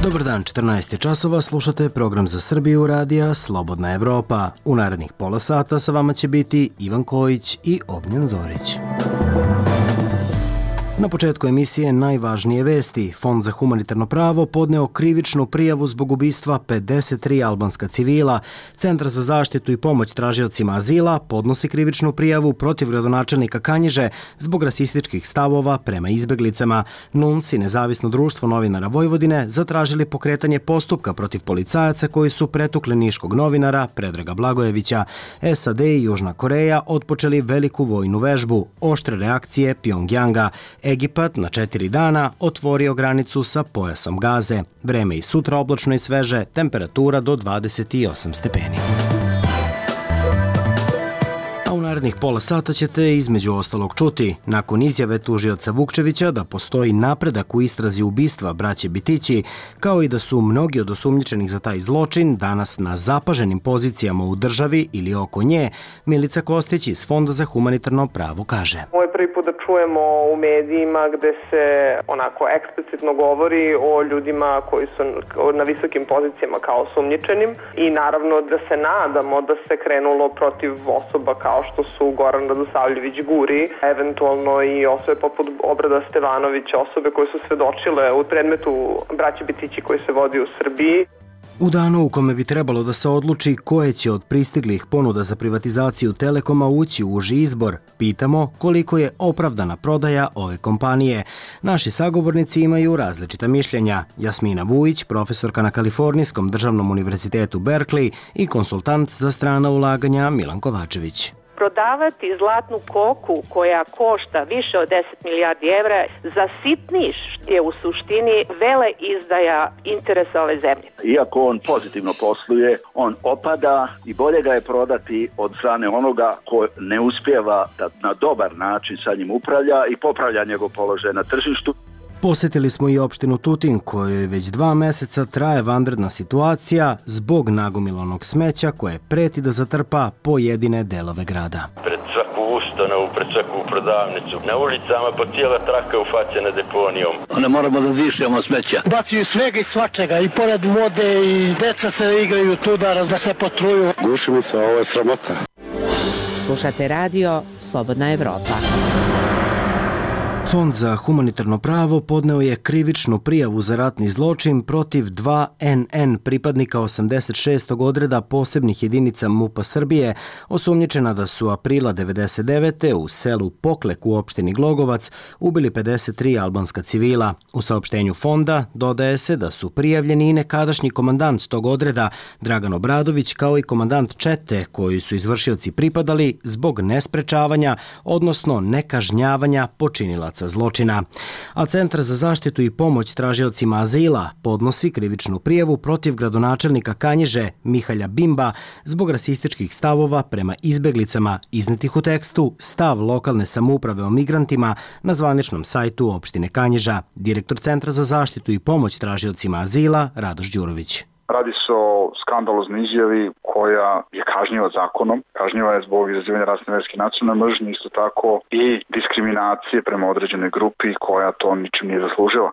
Dobar dan, 14 časova, slušate program za Srbiju radija Slobodna Evropa. U narednih pola sata sa vama će biti Ivan Kojić i Ognjen Zorić. Na početku emisije najvažnije vesti. Fond za humanitarno pravo podneo krivičnu prijavu zbog ubistva 53 albanska civila. Centar za zaštitu i pomoć tražiocima azila podnosi krivičnu prijavu protiv gradonačelnika Kanjiže zbog rasističkih stavova prema izbeglicama. NUNS i Nezavisno društvo novinara Vojvodine zatražili pokretanje postupka protiv policajaca koji su pretukli niškog novinara Predraga Blagojevića. SAD i Južna Koreja otpočeli veliku vojnu vežbu. Oštre reakcije Pjongjanga. Egipat na 4 dana otvorio granicu sa pojasom Gaze. Vreme i sutra oblačno i sveže, temperatura do 28 stepeni. A u narednih pola sata ćete između ostalog čuti, nakon izjave tužioca Vukčevića da postoji napredak u istrazi ubistva braće Bitići, kao i da su mnogi od osumnjičenih za taj zločin danas na zapaženim pozicijama u državi ili oko nje, Milica Kostić iz Fonda za humanitarno pravo kaže. Ovo je prvi put da čujemo u medijima gde se onako eksplicitno govori o ljudima koji su na visokim pozicijama kao osumnjičenim i naravno da se nadamo da se krenulo protiv osoba kao što su Goran Radosavljević Guri, eventualno i osobe poput Obrada Stevanovića, osobe koje su svedočile u predmetu braće Bitići koji se vodi u Srbiji. U danu u kome bi trebalo da se odluči koje će od pristiglih ponuda za privatizaciju Telekoma ući u uži izbor, pitamo koliko je opravdana prodaja ove kompanije. Naši sagovornici imaju različita mišljenja. Jasmina Vujić, profesorka na Kalifornijskom državnom univerzitetu Berkeley i konsultant za strana ulaganja Milan Kovačević. Prodavati zlatnu koku koja košta više od 10 milijardi evra za sitniš je u suštini vele izdaja interesa ove zemlje. Iako on pozitivno posluje, on opada i bolje ga je prodati od strane onoga ko ne uspijeva da na dobar način sa njim upravlja i popravlja njegov položaj na tržištu. Posjetili smo i opštinu Tutin, kojoj već 2 meseca traje vanredna situacija zbog nagomilanog smeća koje preti da zatrpa pojedine delove grada. Pred svaku ustanovu, pred svaku prodavnicu, na ulicama po cijela traka ufaćena deponijom. Ne moramo da dišemo smeća. Bacaju svega i svačega, i pored vode, i deca se igraju tuda, da se potruju. Gušimo se, ovo je sramota. Slušate radio Slobodna Evropa. Fond za humanitarno pravo podneo je krivičnu prijavu za ratni zločin protiv 2 NN pripadnika 86. odreda posebnih jedinica MUP-a Srbije, osumnjičena da su aprila 1999. u selu Poklek u opštini Glogovac ubili 53 albanska civila. U saopštenju fonda dodaje se da su prijavljeni i nekadašnji komandant tog odreda Dragan Obradović kao i komandant čete koji su izvršioci pripadali zbog nesprečavanja, odnosno nekažnjavanja počinilaca zločina. A Centar za zaštitu i pomoć tražiocima azila podnosi krivičnu prijavu protiv gradonačelnika Kanjiže Mihalja Bimba zbog rasističkih stavova prema izbeglicama iznetih u tekstu Stav lokalne samouprave o migrantima na zvaničnom sajtu opštine Kanjiža. Direktor Centra za zaštitu i pomoć tražiocima azila Radoš Đurović. Radi se o skandaloznoj izjavi koja je kažnjiva zakonom. Kažnjiva je zbog izazivanja rasne, verske i nacionalne mržnje, isto tako i diskriminacije prema određenoj grupi koja to ničim nije zaslužila.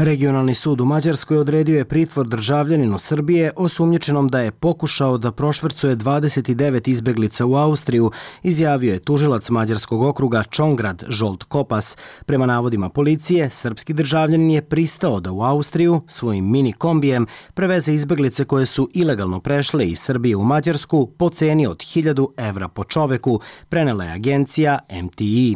Regionalni sud u Mađarskoj odredio je pritvor državljaninu Srbije osumnjičenom da je pokušao da prošvercuje 29 izbeglica u Austriju, izjavio je tužilac Mađarskog okruga Čongrad Žolt Kopas. Prema navodima policije, srpski državljanin je pristao da u Austriju svojim mini kombijem preveze izbeglice koje su ilegalno prešle iz Srbije u Mađarsku po ceni od 1000 evra po čoveku, prenela je agencija MTI.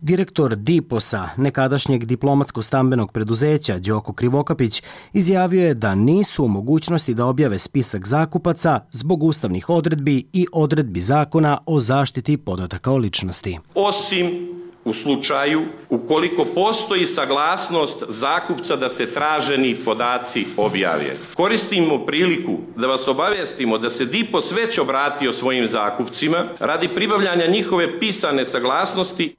Direktor DIPOS-a, nekadašnjeg diplomatsko-stambenog preduzeća Đoko Krivokapić, izjavio je da nisu u mogućnosti da objave spisak zakupaca zbog ustavnih odredbi i odredbi zakona o zaštiti podataka o ličnosti. Osim u slučaju ukoliko postoji saglasnost zakupca da se traženi podaci objave. Koristimo priliku da vas obavestimo da se DIPOS već obratio svojim zakupcima radi pribavljanja njihove pisane saglasnosti.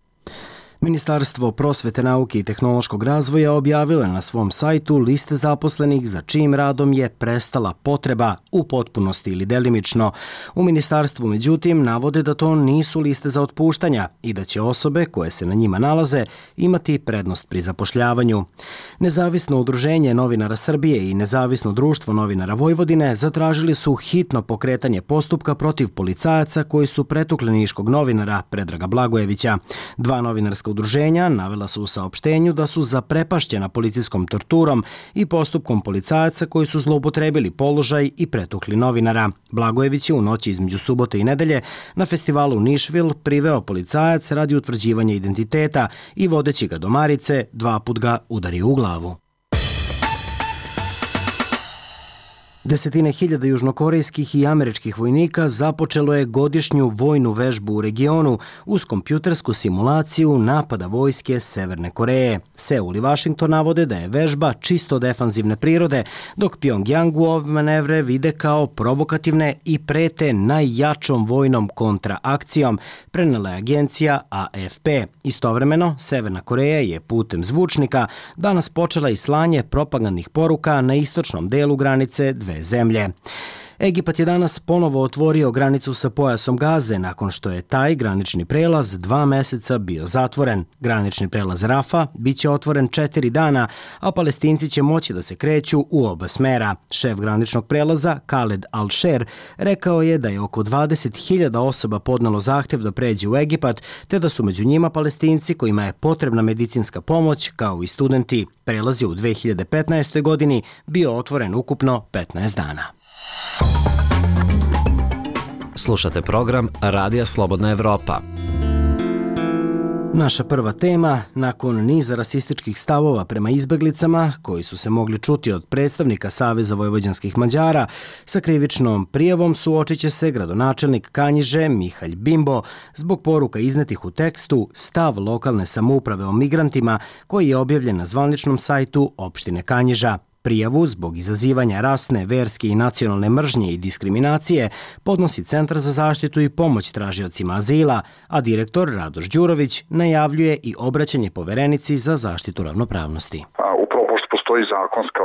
Ministarstvo prosvete, nauke i tehnološkog razvoja objavilo je na svom sajtu liste zaposlenih za čijim radom je prestala potreba u potpunosti ili delimično. U ministarstvu, međutim, navode da to nisu liste za otpuštanja i da će osobe koje se na njima nalaze imati prednost pri zapošljavanju. Nezavisno udruženje novinara Srbije i Nezavisno društvo novinara Vojvodine zatražili su hitno pokretanje postupka protiv policajaca koji su pretukli niškog novinara Predraga Blagojevića. Dva novinarska udruženja navela su u saopštenju da su zaprepašćena policijskom torturom i postupkom policajaca koji su zloupotrebili položaj i pretukli novinara. Blagojević je u noći između subote i nedelje na festivalu Nišvil priveo policajac radi utvrđivanja identiteta i vodeći ga do Marice, 2 put ga udario u glavu. Desetine hiljada južnokorejskih i američkih vojnika započelo je godišnju vojnu vežbu u regionu uz kompjutersku simulaciju napada vojske Severne Koreje. Seul i Vašington navode da je vežba čisto defanzivne prirode, dok Pjongjangu ove manevre vide kao provokativne i prete najjačom vojnom kontraakcijom, prenela je agencija AFP. Istovremeno, Severna Koreja je putem zvučnika danas počela i slanje propagandnih poruka na istočnom delu granice dve zemlje. Egipat je danas ponovo otvorio granicu sa pojasom Gaze nakon što je taj granični prelaz 2 meseca bio zatvoren. Granični prelaz Rafa biće otvoren 4 dana, a Palestinci će moći da se kreću u oba smera. Šef graničnog prelaza, Khaled Al-Sher, rekao je da je oko 20.000 osoba podnelo zahtev da pređe u Egipat, te da su među njima Palestinci kojima je potrebna medicinska pomoć, kao i studenti. Prelaz je u 2015. godini bio otvoren ukupno 15 dana. Slušate program Radija Slobodna Evropa. Naša prva tema, nakon niza rasističkih stavova prema izbeglicama, koji su se mogli čuti od predstavnika Saveza vojvođanskih Mađara, sa krivičnom prijavom suočit će se gradonačelnik Kanjiže Mihalj Bimbo zbog poruka iznetih u tekstu Stav lokalne samouprave o migrantima, koji je objavljen na zvaničnom sajtu opštine Kanjiža. Prijavu zbog izazivanja rasne, verske i nacionalne mržnje i diskriminacije podnosi Centar za zaštitu i pomoć tražiocima azila, a direktor Radoš Đurović najavljuje i obraćanje poverenici za zaštitu ravnopravnosti. Upravo pošto postoji zakonska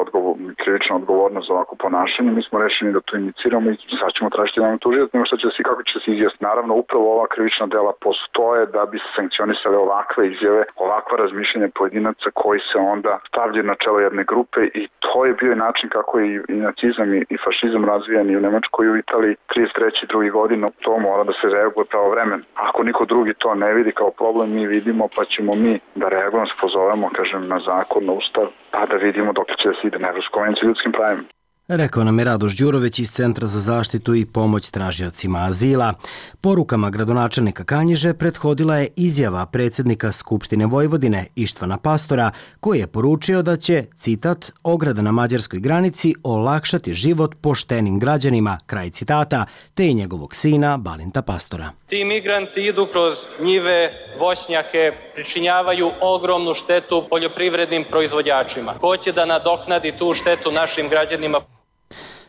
krivična odgovornost za ovako ponašanje, mi smo rešeni da to iniciramo i sad ćemo tražiti da nam tužiti, nego što će se i kako će se izjasniti. Naravno, upravo ova krivična dela postoje da bi se sankcionisale ovakve izjave, ovakva razmišljanja pojedinaca koji se onda stavljaju na čelo jedne grupe i to je bio i način kako je i nacizam i fašizam razvijan i u Nemačkoj i u Italiji 33. drugi godinu. To mora da se reaguje pravovremeno. Ako niko drugi to ne vidi kao problem, mi vidimo, pa ćemo mi da reagujemo, se pozovemo, na zakon, na ustav, pa da vidimo dok će da se ide na Evropsku konvenciju o ljudskim pravima. Rekao nam je Radoš Đurović iz Centra za zaštitu i pomoć tražiocima azila. Porukama gradonačelnika Kanjiže prethodila je izjava predsjednika Skupštine Vojvodine Ištvana Pastora, koji je poručio da će, citat, ograda na mađarskoj granici olakšati život poštenim građanima, kraj citata, te i njegovog sina Balinta Pastora. Ti migranti idu kroz njive, voćnjake, pričinjavaju ogromnu štetu poljoprivrednim proizvođačima. Ko će da nadoknadi tu štetu našim građanima?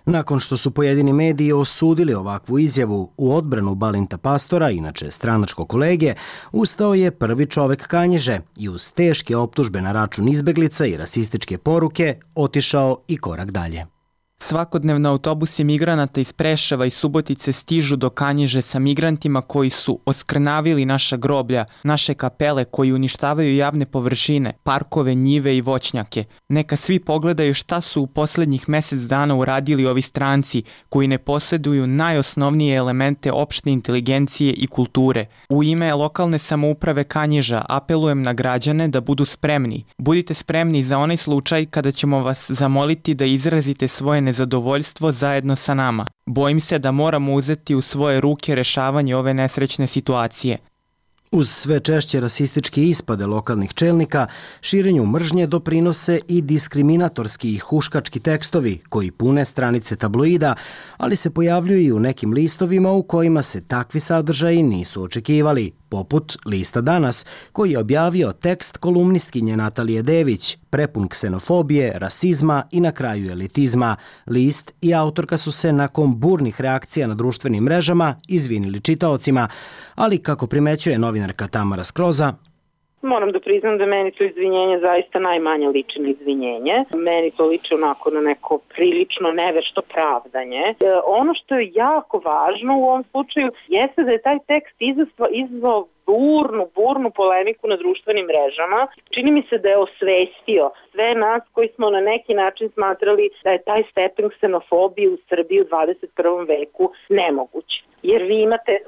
Nakon što su pojedini mediji osudili ovakvu izjavu u odbranu Balinta Pastora, inače stranačko kolege, ustao je prvi čovek Kanjiže i uz teške optužbe na račun izbeglica i rasističke poruke otišao i korak dalje. Svakodnevno autobusi migranata iz Preševa i Subotice stižu do Kanjiže sa migrantima koji su oskrnavili naša groblja, naše kapele, koji uništavaju javne površine, parkove, njive i voćnjake. Neka svi pogledaju šta su u poslednjih mesec dana uradili ovi stranci koji ne posjeduju najosnovnije elemente opšte inteligencije i kulture. U ime lokalne samouprave Kanjiža apelujem na građane da budu spremni. Budite spremni za onaj slučaj kada ćemo vas zamoliti da izrazite svoje nezadovoljstvo zajedno sa nama. Bojim se da moramo uzeti u svoje ruke rešavanje ove nesrećne situacije. Uz sve češće rasističke ispade lokalnih čelnika, širenju mržnje doprinose i diskriminatorski i huškački tekstovi koji pune stranice tabloida, ali se pojavljuju i u nekim listovima u kojima se takvi sadržaji nisu očekivali, poput Lista Danas, koji je objavio tekst kolumnistkinje Natalije Dević, prepun ksenofobije, rasizma i na kraju elitizma. List i autorka su se nakon burnih reakcija na društvenim mrežama izvinili čitaocima, ali kako primećuje novinarka Tamara Skroza, Moram da priznam da meni to izvinjenje zaista najmanje liči na izvinjenje. Meni to liči onako na neko prilično nevešto pravdanje. Ono što je jako važno u ovom slučaju jeste da je taj tekst izazvao burnu polemiku na društvenim mrežama. Čini mi se da je osvestio sve nas koji smo na neki način smatrali da je taj stepen ksenofobije u Srbiji u 21. veku nemoguć. Jer vi imate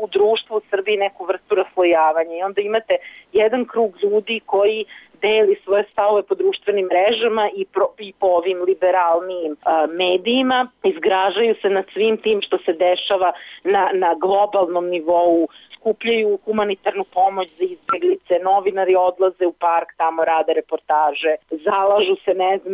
u društvu u Srbiji neku vrstu raslojavanja i onda imate jedan krug ljudi koji deli svoje stavove po društvenim mrežama i po ovim liberalnim medijima, izgražaju se nad svim tim što se dešava na globalnom nivou, skupljaju humanitarnu pomoć za izbeglice, novinari odlaze u park, tamo rade reportaže, zalažu se,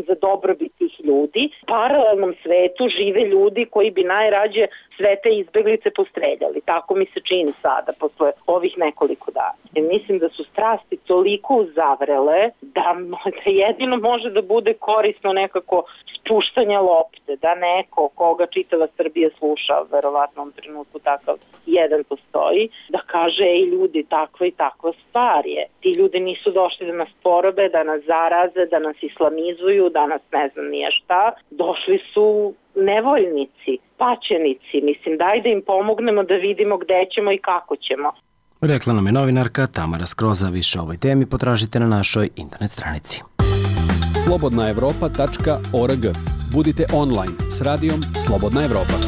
za dobrobit tih ljudi. U paralelnom svetu žive ljudi koji bi najrađe sve te izbeglice postreljali. Tako mi se čini sada, posle ovih nekoliko dana. Mislim da su strasti toliko uzavrele da jedino može da bude korisno nekako spuštanje lopte, da neko koga čitava Srbija sluša, verovatno u trenutku takav jedan postoji, da kaže, ej ljudi, takva i takva stvar je. Ti ljudi nisu došli da nas porobe, da nas zaraze, da nas islamizuju, da nas ne znam nije šta. Došli su nevoljnici, paćenici. Mislim, daj da im pomognemo da vidimo gde ćemo i kako ćemo. Rekla nam je novinarka Tamara Skroza. Više o ovoj temi potražite na našoj internet stranici. slobodnaevropa.org. Budite online s radijom Slobodna Evropa.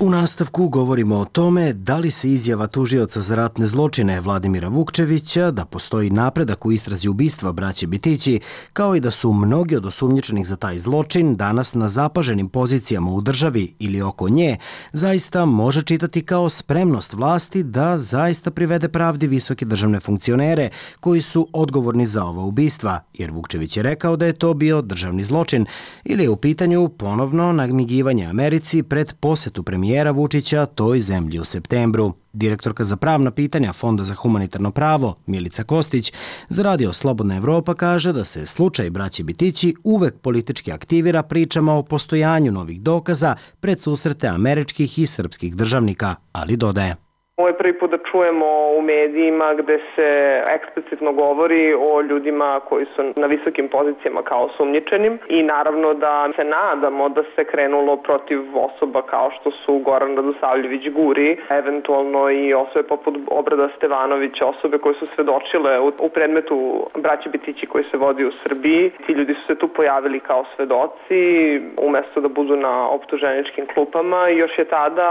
U nastavku govorimo o tome da li se izjava tužioca za ratne zločine Vladimira Vukčevića da postoji napredak u istrazi ubistva braće Bitići, kao i da su mnogi od osumnjičenih za taj zločin danas na zapaženim pozicijama u državi ili oko nje, zaista može čitati kao spremnost vlasti da zaista privede pravdi visoke državne funkcionere koji su odgovorni za ova ubistva, jer Vukčević je rekao da je to bio državni zločin, ili je u pitanju ponovno namigivanje Americi pred posetu premijera Vučića toj zemlji u septembru. Direktorka za pravna pitanja Fonda za humanitarno pravo Milica Kostić za radio Slobodna Evropa kaže da se slučaj braće Bitići uvek politički aktivira pričama o postojanju novih dokaza pred susrete američkih i srpskih državnika, ali dodaje. Ovo je prvi put da čujemo u medijima gde se eksplicitno govori o ljudima koji su na visokim pozicijama kao osumnjičenim i naravno da se nadamo da se krenulo protiv osoba kao što su Goran Radosavljević Guri, eventualno i osobe poput Obrada Stevanovića, osobe koje su svedočile u predmetu braće Bitići koji se vodi u Srbiji. Ti ljudi su se tu pojavili kao svedoci umesto da budu na optuženičkim klupama i još je tada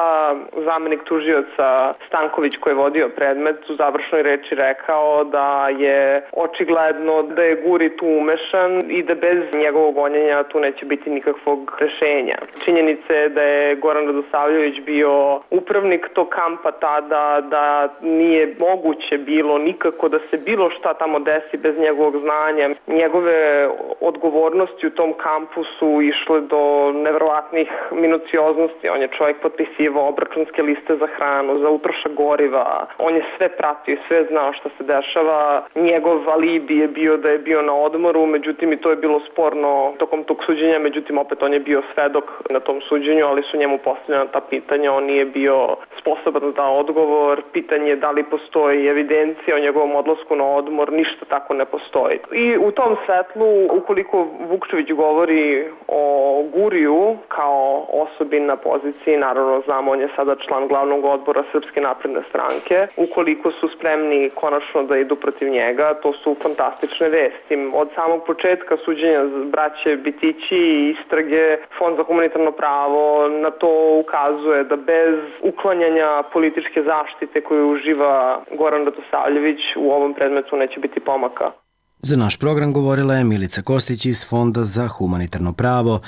zamenik tužioca Stanković koji je vodio predmet u završnoj reči rekao da je očigledno da je Guri tu umešan i da bez njegovog gonjenja tu neće biti nikakvog rešenja. Činjenica je da je Goran Radosavljević bio upravnik tog kampa tada, da nije moguće bilo nikako da se bilo šta tamo desi bez njegovog znanja. Njegove odgovornosti u tom kampu su išle do neverovatnih minucioznosti. On je čovjek potpisivao obračunske liste za hranu, za utrošak goriva. On je sve pratio i sve znao šta se dešava. Njegov alibi je bio da je bio na odmoru, međutim i to je bilo sporno tokom tog suđenja, međutim opet on je bio svedok na tom suđenju, ali su njemu postavljena ta pitanja, on nije bio sposoban da da odgovor. Pitanje je da li postoji evidencija o njegovom odlasku na odmor, ništa tako ne postoji. I u tom svetlu, ukoliko Vukčević govori o Guriju kao osobi na poziciji, naravno znamo, on je sada član glavnog odbora Srpske napredne stranke, ukoliko su spremni konačno da idu protiv njega, to su fantastične vesti. Od samog početka suđenja braće Bitići i istrage Fond za humanitarno pravo na to ukazuje da bez uklanjanja političke zaštite koju uživa Goran Radosavljević u ovom predmetu neće biti pomaka. Za naš program govorila je Milica Kostić iz Fonda za humanitarno pravo,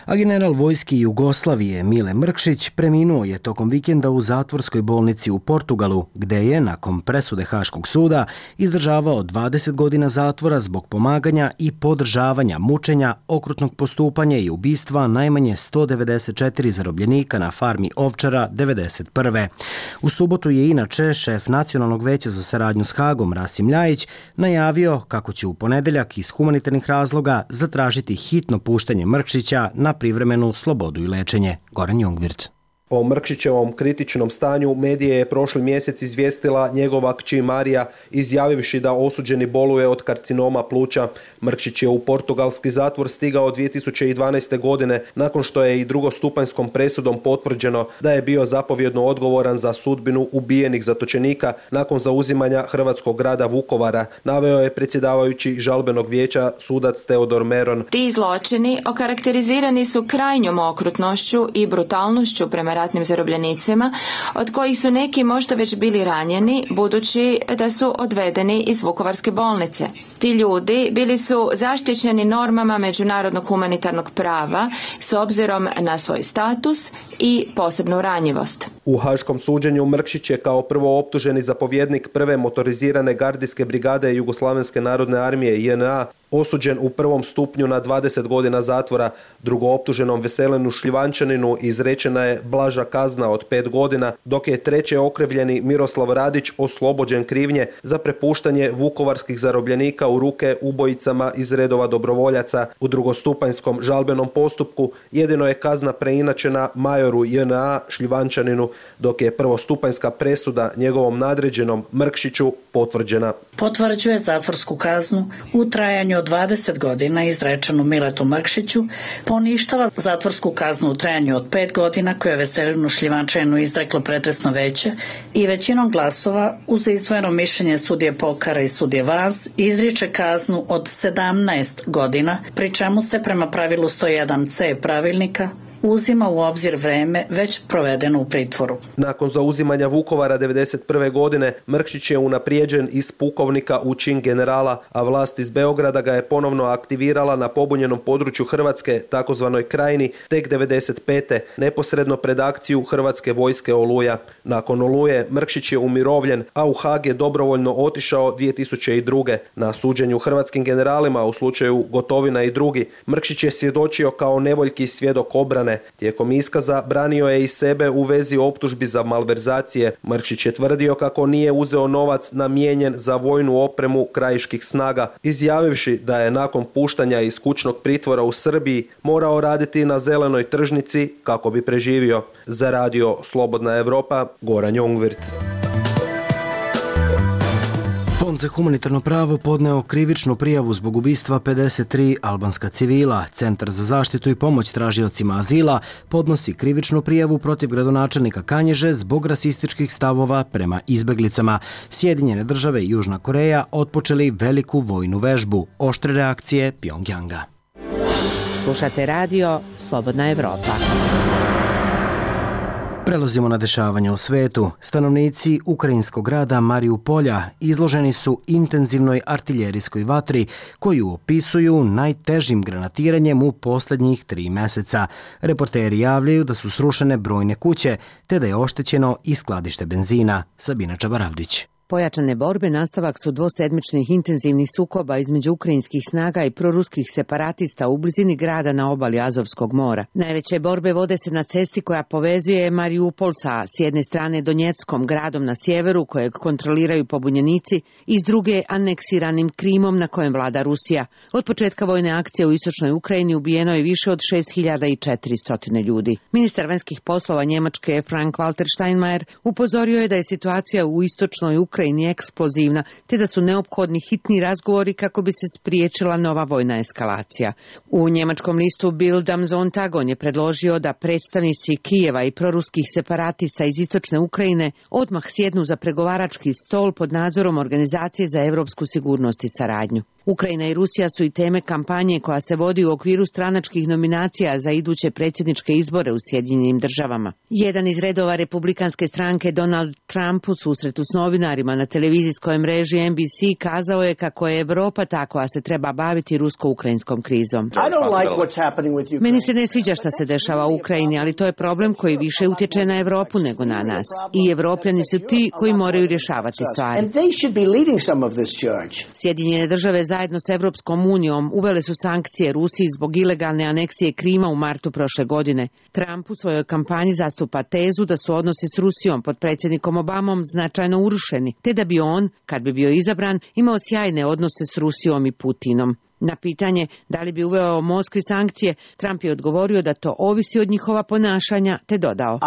a general vojske Jugoslavije Mile Mrkšić preminuo je tokom vikenda u zatvorskoj bolnici u Portugalu, gde je, nakon presude Haškog suda, izdržavao 20 godina zatvora zbog pomaganja i podržavanja mučenja, okrutnog postupanja i ubistva najmanje 194 zarobljenika na farmi Ovčara 1991. U subotu je inače šef Nacionalnog veća za saradnju s Hagom Rasim Ljajić najavio kako će u ponedeljak iz humanitarnih razloga zatražiti hitno puštanje Mrkšića na privremenu slobodu i lečenje. Goran Jungvirt. O Mrkšićevom kritičnom stanju medije je prošli mjesec izvijestila njegova kći Marija, izjavivši da osuđeni boluje od karcinoma pluća. Mrkšić je u portugalski zatvor stigao 2012. godine nakon što je i drugostupanjskom presudom potvrđeno da je bio zapovjedno odgovoran za sudbinu ubijenih zatočenika nakon zauzimanja hrvatskog grada Vukovara, naveo je predsjedavajući žalbenog vijeća sudac Teodor Meron. Ti zločini okarakterizirani su krajnjom okrutnošću i brutalnošću prema ratnim zarobljenicima, od kojih su neki možda već bili ranjeni, budući da su odvedeni iz Vukovarske bolnice. Ti ljudi bili su zaštićeni normama međunarodnog humanitarnog prava s obzirom na svoj status i posebnu ranjivost. U haškom suđenju Mrkšić je kao prvo optuženi zapovjednik prve motorizirane gardijske brigade Jugoslavenske narodne armije JNA osuđen u prvom stupnju na 20 godina zatvora. Drugooptuženom Veselinu Šljivančaninu izrečena je blaža kazna od 5 godina, dok je treće okrivljeni Miroslav Radić oslobođen krivnje za prepuštanje vukovarskih zarobljenika u ruke ubojicama iz redova dobrovoljaca. U drugostupanjskom žalbenom postupku jedino je kazna preinačena majoru JNA Šljivančaninu, dok je prvostupanjska presuda njegovom nadređenom Mrkšiću potvrđena. Potvrđuje zatvorsku kaznu u trajanju od 20 godina izrečenu Miletu Mrkšiću, poništava zatvorsku kaznu u trajanju od 5 godina koju je Veselinu Šljivančaninu izreklo pretresno veće i većinom glasova uz izdvojeno mišljenje sudije Pokara i sudije Vaz izriče kaznu od 17 godina, pri čemu se prema pravilu 101c pravilnika uzima u obzir vreme već provedeno u pritvoru. Nakon zauzimanja Vukovara 1991. godine Mrkšić je unaprijeđen iz pukovnika u čin generala, a vlast iz Beograda ga je ponovno aktivirala na pobunjenom području Hrvatske, takozvanoj Krajini, tek 1995. neposredno pred akciju Hrvatske vojske Oluja. Nakon Oluje Mrkšić je umirovljen, a u Haag je dobrovoljno otišao 2002. Na suđenju hrvatskim generalima u slučaju Gotovina i drugi, Mrkšić je svjedočio kao nevoljki svjedok obrane. Tijekom iskaza branio je i sebe u vezi optužbi za malverzacije. Mrkšić je tvrdio kako nije uzeo novac namijenjen za vojnu opremu krajiških snaga, izjavivši da je nakon puštanja iz kućnog pritvora u Srbiji morao raditi na zelenoj tržnici kako bi preživio. Za radio Slobodna Evropa, Goran Jongvirt. Fond za humanitarno pravo podneo krivičnu prijavu zbog ubistva 53 albanska civila. Centar za zaštitu i pomoć tražiocima azila podnosi krivičnu prijavu protiv gradonačelnika Kanjiže zbog rasističkih stavova prema izbeglicama. Sjedinjene države i Južna Koreja otpočeli veliku vojnu vežbu. Oštre reakcije Pjongjanga. Slušate radio Slobodna Evropa. Prelazimo na dešavanja u svetu. Stanovnici ukrajinskog grada Mariupolja izloženi su intenzivnoj artiljerijskoj vatri koju opisuju najtežim granatiranjem u posljednjih 3 meseca. Reporteri javljaju da su srušene brojne kuće te da je oštećeno i skladište benzina. Sabina Čabaravdić. Pojačane borbe nastavak su dvosedmičnih intenzivnih sukoba između ukrajinskih snaga i proruskih separatista u blizini grada na obali Azovskog mora. Najveće borbe vode se na cesti koja povezuje Mariupol sa s jedne strane Donjeckom, gradom na sjeveru kojeg kontroliraju pobunjenici, i s druge aneksiranim Krimom na kojem vlada Rusija. Od početka vojne akcije u istočnoj Ukrajini ubijeno je više od 6400 ljudi. Ministar vanjskih poslova Njemačke Frank-Walter Steinmeier upozorio je da je situacija u istočnoj Ukrajini eksplozivna, te da su neophodni hitni razgovori kako bi se spriječila nova vojna eskalacija. U njemačkom listu Bild am Sonntag on je predložio da predstavnici Kijeva i proruskih separatista iz istočne Ukrajine odmah sjednu za pregovarački stol pod nadzorom Organizacije za europsku sigurnost i saradnju. Ukrajina i Rusija su i teme kampanje koja se vodi u okviru stranačkih nominacija za iduće predsjedničke izbore u Sjedinjenim državama. Jedan iz redova republikanske stranke, Donald Trump, u susretu s novinarima na televizijskoj mreži NBC kazao je kako je Evropa ta koja se treba baviti rusko-ukrajinskom krizom. Meni se ne sviđa šta se dešava u Ukrajini, ali to je problem koji više utječe na Evropu nego na nas. I Evropljani su ti koji moraju rješavati stvari. Sjedinjene države zajedno s Evropskom unijom uvele su sankcije Rusiji zbog ilegalne aneksije Krima u martu prošle godine. Trump u svojoj kampanji zastupa tezu da su odnosi s Rusijom pod predsjednikom Obamom značajno urušeni, te da bi on, kad bi bio izabran, imao sjajne odnose s Rusijom i Putinom. Na pitanje da li bi uveo Moskvi sankcije, Trump je odgovorio da to ovisi od njihova ponašanja, te dodao: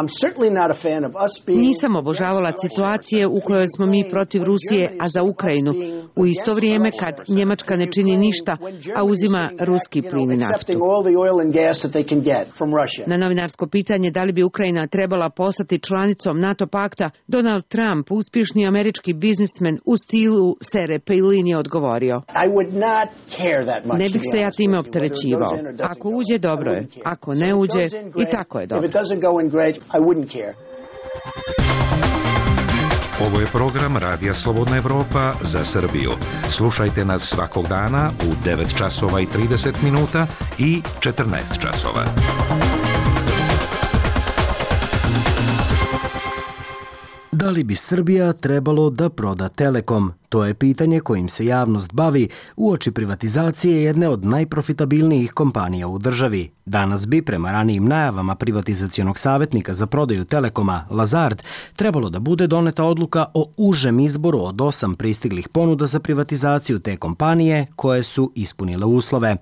Nisam obožavala situacije u kojoj smo mi protiv Rusije, a za Ukrajinu, u isto vrijeme kad Njemačka ne čini ništa, a uzima ruski plin i naftu. Na novinarsko pitanje da li bi Ukrajina trebala postati članicom NATO pakta, Donald Trump, uspješni američki biznismen u stilu Sere Palin, je odgovorio: Ne bih se ja time opterećivao. Ako uđe, dobro je. Ako ne uđe, i tako je dobro. Ovo je program Radija Slobodna Evropa za Srbiju. Slušajte nas svakog dana u 9 časova i 30 minuta i 14 časova. Da li bi Srbija trebalo da proda Telekom? To je pitanje kojim se javnost bavi uoči privatizacije jedne od najprofitabilnijih kompanija u državi. Danas bi, prema ranijim najavama privatizacionog savjetnika za prodaju Telekoma, Lazard, trebalo da bude doneta odluka o užem izboru od 8 pristiglih ponuda za privatizaciju te kompanije koje su ispunile uslove.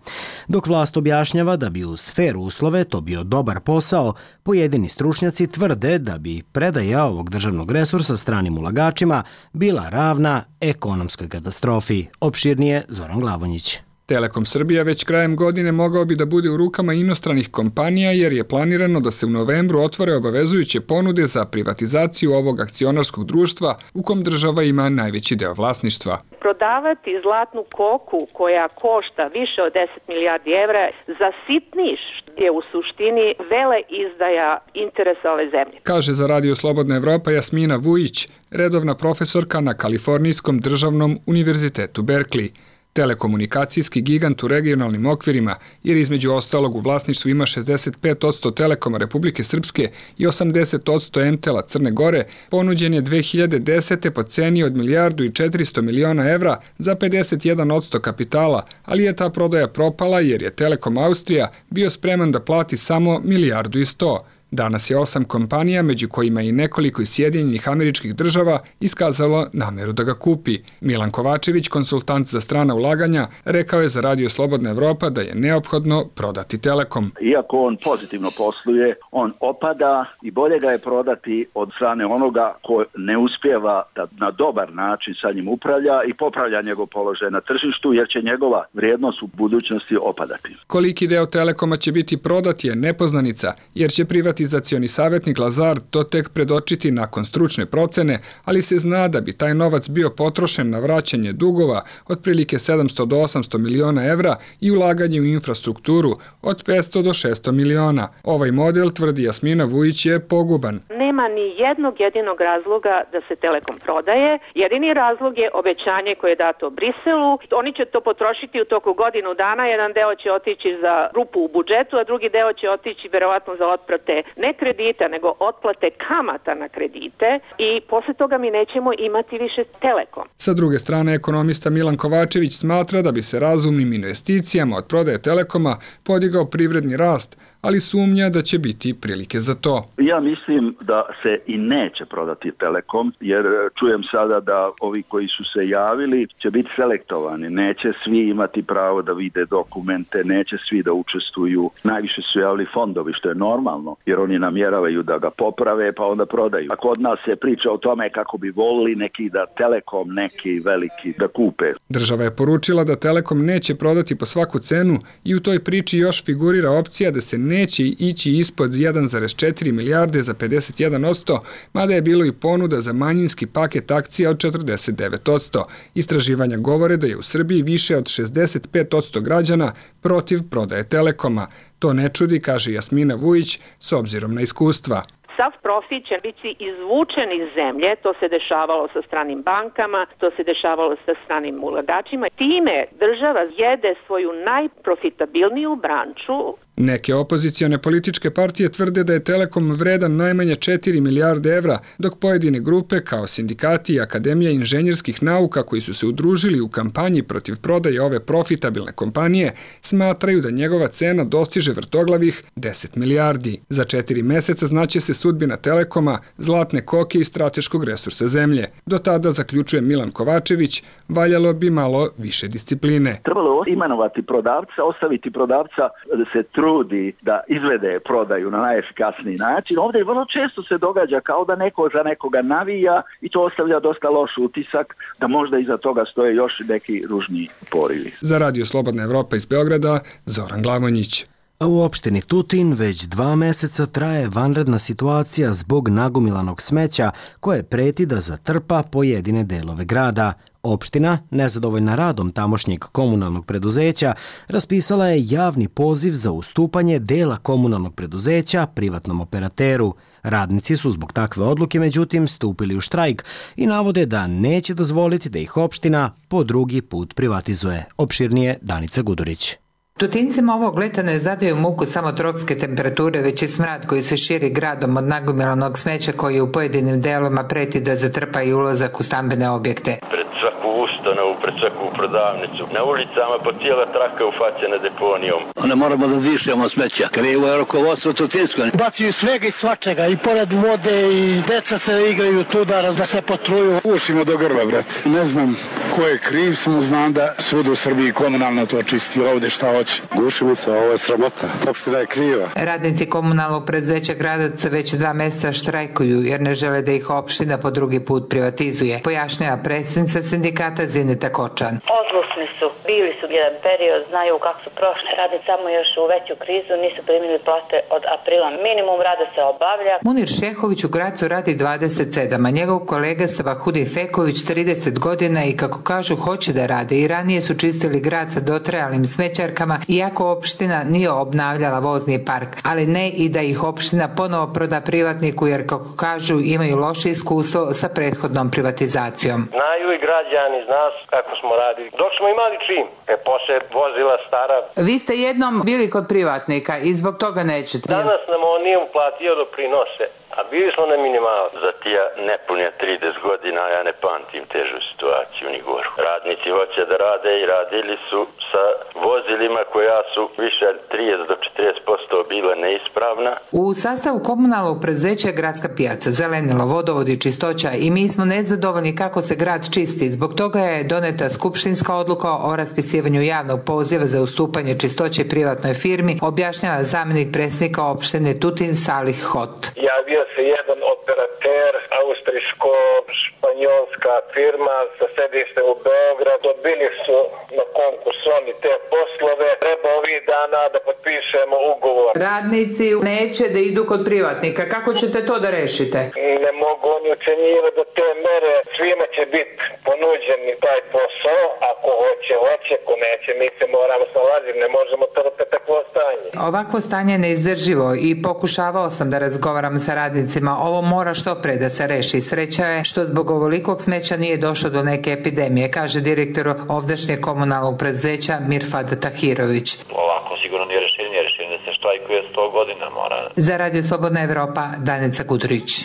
Dok vlast objašnjava da bi uz fer uslove to bio dobar posao, pojedini stručnjaci tvrde da bi predaja ovog državnog resursa stranim ulagačima bila ravna ekonomskoj katastrofi. Opširnije Zoran Glavonjić. Telekom Srbija već krajem godine mogao bi da bude u rukama inostranih kompanija jer je planirano da se u novembru otvore obavezujuće ponude za privatizaciju ovog akcionarskog društva u kom država ima najveći deo vlasništva. Prodavati zlatnu koku koja košta više od 10 milijardi evra za sitniš je u suštini vele izdaja interesa ove zemlje. Kaže za Radio Slobodna Evropa Jasmina Vujić, redovna profesorka na Kalifornijskom državnom univerzitetu Berkeley. Telekomunikacijski gigant u regionalnim okvirima, jer između ostalog u vlasništvu ima 65% Telekoma Republike Srpske i 80% MTEL-a Crne Gore, ponuđen je 2010. po ceni od milijardu i 400 miliona evra za 51% kapitala, ali je ta prodaja propala jer je Telekom Austrija bio spreman da plati samo milijardu i 100. Danas je 8 kompanija, među kojima i nekoliko iz Sjedinjenih Američkih Država, iskazalo nameru da ga kupi. Milan Kovačević, konsultant za strana ulaganja, rekao je za Radio Slobodna Evropa da je neophodno prodati Telekom. Iako on pozitivno posluje, on opada i bolje ga je prodati od strane onoga ko ne uspijeva da na dobar način sa njim upravlja i popravlja njegov položaj na tržištu, jer će njegova vrijednost u budućnosti opadati. Koliki deo Telekoma će biti prodat je nepoznanica, jer će privatizacioni savjetnik Lazard to tek predočiti nakon stručne procene, ali se zna da bi taj novac bio potrošen na vraćanje dugova otprilike 700 do 800 miliona evra i ulaganje u infrastrukturu od 500 do 600 miliona. Ovaj model, tvrdi Jasmina Vujić, je poguban. Nema ni jednog jedinog razloga da se Telekom prodaje. Jedini razlog je obećanje koje je dato Briselu. Oni će to potrošiti u toku godinu dana. Jedan deo će otići za rupu u budžetu, a drugi deo će otići verovatno za otplate ne kredita, nego otplate kamata na kredite i posle toga mi nećemo imati više Telekom. Sa druge strane, ekonomista Milan Kovačević smatra da bi se razumnim investicijama od prodaje Telekoma podigao privredni rast, ali sumnja da će biti prilike za to. Ja mislim da se i neće prodati Telekom, jer čujem sada da ovi koji su se javili će biti selektovani. Neće svi imati pravo da vide dokumente, neće svi da učestvuju. Najviše su javili fondovi, što je normalno, jer oni namjeravaju da ga poprave, pa onda prodaju. A kod nas se priča o tome kako bi volili neki da Telekom, neki veliki da kupe. Država je poručila da Telekom neće prodati po svaku cenu i u toj priči još figurira opcija da se neće ići ispod 1,4 milijarde za 51%, mada je bilo i ponuda za manjinski paket akcija od 49%. Istraživanja govore da je u Srbiji više od 65% građana protiv prodaje Telekoma. To ne čudi, kaže Jasmina Vujić, s obzirom na iskustva. Sav profit će biti izvučen iz zemlje, to se dešavalo sa stranim bankama, to se dešavalo sa stranim ulagačima. Time država jede svoju najprofitabilniju branču Neke opozicione političke partije tvrde da je Telekom vredan najmanje 4 milijarde evra, dok pojedine grupe kao sindikati i Akademija inženjerskih nauka koji su se udružili u kampanji protiv prodaje ove profitabilne kompanije smatraju da njegova cena dostiže vrtoglavih 10 milijardi. Za 4 meseca znaće se sudbina Telekoma, zlatne koke i strateškog resursa zemlje. Do tada, zaključuje Milan Kovačević, valjalo bi malo više discipline. Trebalo imenovati prodavca, ostaviti prodavca da se trudi da izvede prodaju na najefikasniji način. Ovdje vrlo često se događa kao da neko za nekoga navija i to ostavlja dosta loš utisak da možda iza toga stoje još neki ružni porivi. Za Radio Slobodna Evropa iz Beograda, Zoran Glavonjić. U opštini Tutin već 2 meseca traje vanredna situacija zbog nagomilanog smeća koje preti da zatrpa pojedine delove grada. Opština, nezadovoljna radom tamošnjeg komunalnog preduzeća, raspisala je javni poziv za ustupanje dela komunalnog preduzeća privatnom operateru. Radnici su zbog takve odluke međutim stupili u štrajk i navode da neće dozvoliti da ih opština po drugi put privatizuje. Opširnije Danica Gudurić. Tutincima ovog leta ne zadaju muku samo tropske temperature, već i smrad koji se širi gradom od nagomilanog smeća koji u pojedinim delovima preti da zatrpa i ulazak u stambene objekte. Pred svaku ustanovu, pred svaku prodavnicu, na ulicama po cijela traka ufaćena deponijom. Ne moramo da dišemo smeća, krivo je rukovodstvo Tutinsko. Bacaju svega i svačega, i pored vode, i deca se igraju tu da se potruju. Ušimo do grba, brate. Ne znam ko je kriv, samo znam da svud u Srbiji komunalno to čisti, ovde šta hoće. Gušimica, ovo je sramota. Opština je kriva. Radnici komunalnog preduzeća Gradac već 2 meseca štrajkuju jer ne žele da ih opština po drugi put privatizuje, pojašnjava predsjednica sindikata Zineta Kočan. Odlučni su, bili su jedan period, znaju kako su prošli, rade samo još u veću krizu, nisu primili plate od aprila. Minimum rada se obavlja. Munir Šehović u Gracu radi 27, a njegov kolega Savahudi Feković 30 godina i kako kažu hoće da rade. I ranije su čistili grad sa dotrajalim smećarkama, iako opština nije obnavljala vozni park, ali ne i da ih opština ponovo proda privatniku jer kako kažu imaju loše iskustvo sa prethodnom privatizacijom. Znaju i građani, zna kako smo radili. Dok smo imali čim, posle vozila stara. Vi ste jednom bili kod privatnika i zbog toga nećete. Danas nam on nije uplatio doprinose. A bili smo na minimalu. Za tija nepunja 30 godina ja ne pamtim težu situaciju ni goru. Radnici hoće da rade i radili su sa vozilima koja su više 30 do 40% bile neispravna. U sastavu komunalnog preduzeća je gradska pijaca, zelenilo, vodovod i čistoća i mi smo nezadovoljni kako se grad čisti. Zbog toga je doneta skupštinska odluka o raspisivanju javnog poziva za ustupanje čistoće privatnoj firmi, objašnjava zamjenik predsjednika opštine Tutin Salih Hot. Javio se jedan operater, austrijsko-španjolska firma sa sedištem u Beogradu. Dobili su na konkurs oni te poslove. Treba ovih dana da potpišemo ugovor. Radnici neće da idu kod privatnika. Kako ćete to da rešite? Ne mogu oni ucenjivati do te mere. Svima će biti ponuđeni taj posao. Ako hoće, ako neće, mi se moramo snalaziti. Ne možemo trpeti takvo stanje. Ovakvo stanje je neizdrživo i pokušavao sam da razgovaram sa radnicima. Ovo mora što pre da se reši. Sreća je što zbog ovolikog smeća nije došlo do neke epidemije, kaže direktor ovdašnjeg komunalnog preduzeća Mirfad Tahirović. Ovako sigurno nije rešenje da se štrajkuje 100 godina mora. Za Radio Slobodna Evropa, Danica Gudurić.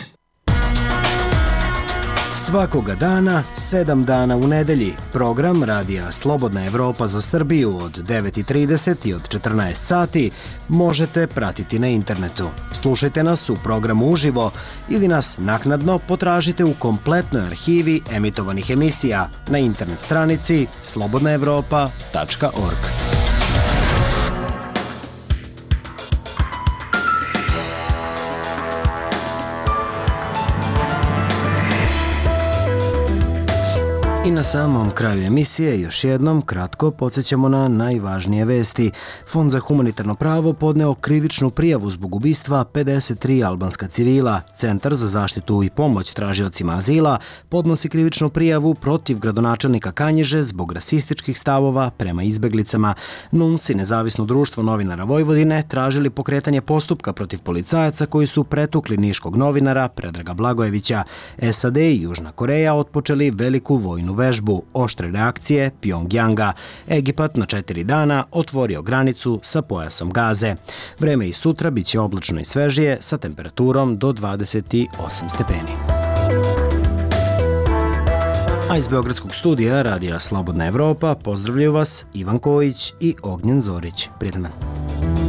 Svakoga dana, 7 dana u nedelji, program Radija Slobodna Evropa za Srbiju od 9:30 i od 14 sati možete pratiti na internetu. Slušajte nas u programu uživo ili nas naknadno potražite u kompletnoj arhivi emitovanih emisija na internet stranici slobodnaevropa.org. I na samom kraju emisije još jednom kratko podsjećamo na najvažnije vesti. Fond za humanitarno pravo podneo krivičnu prijavu zbog ubistva 53 albanska civila. Centar za zaštitu i pomoć tražiocima azila podnosi krivičnu prijavu protiv gradonačelnika Kanjiže zbog rasističkih stavova prema izbeglicama. NUNS i Nezavisno društvo novinara Vojvodine tražili pokretanje postupka protiv policajaca koji su pretukli niškog novinara Predraga Blagojevića. SAD i Južna Koreja otpočeli veliku vojnu vežbu. vježbu oštre reakcije Pjongjanga. Egipat na 4 dana otvorio granicu sa pojasom Gaze. Vreme i sutra bit će oblačno i svežije sa temperaturom do 28 stepeni. A iz Beogradskog studija Radija Slobodna Evropa pozdravljaju vas Ivan Kojić i Ognjen Zorić. Prijetan dan.